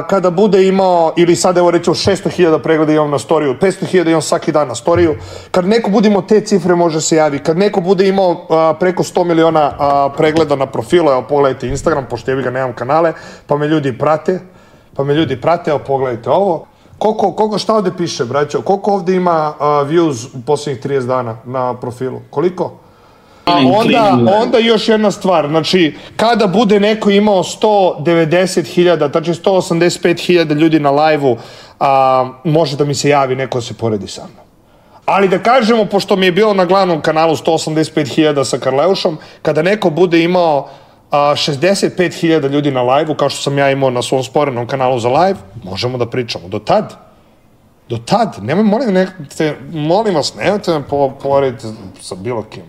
kada bude imao, ili sad evo rećemo 600.000 pregleda imam na storiju, 500.000 imam svaki dan na storiju, kad neko bude imao te cifre može se javi, kad neko bude imao preko 100 miliona pregleda na profilu, evo pogledajte Instagram, pošto ja ga nemam kanale, pa me ljudi prate, evo pogledajte ovo. Koliko, šta ovde piše, braćo? Koliko ovde ima views u posljednjih 30 dana na profilu? Koliko? Onda još jedna stvar, znači, kada bude neko imao 190.000, znači 185.000 ljudi na live-u, može da mi se javi, neko se poredi sa mnom. Ali da kažemo, pošto mi je bilo na glavnom kanalu 185.000 sa Karleušom, kada neko bude imao 65.000 ljudi na live-u, kao što sam ja imao na svom sporenom kanalu za live, možemo da pričamo. Do tad, molim vas, nemojte me porediti sa bilo kim.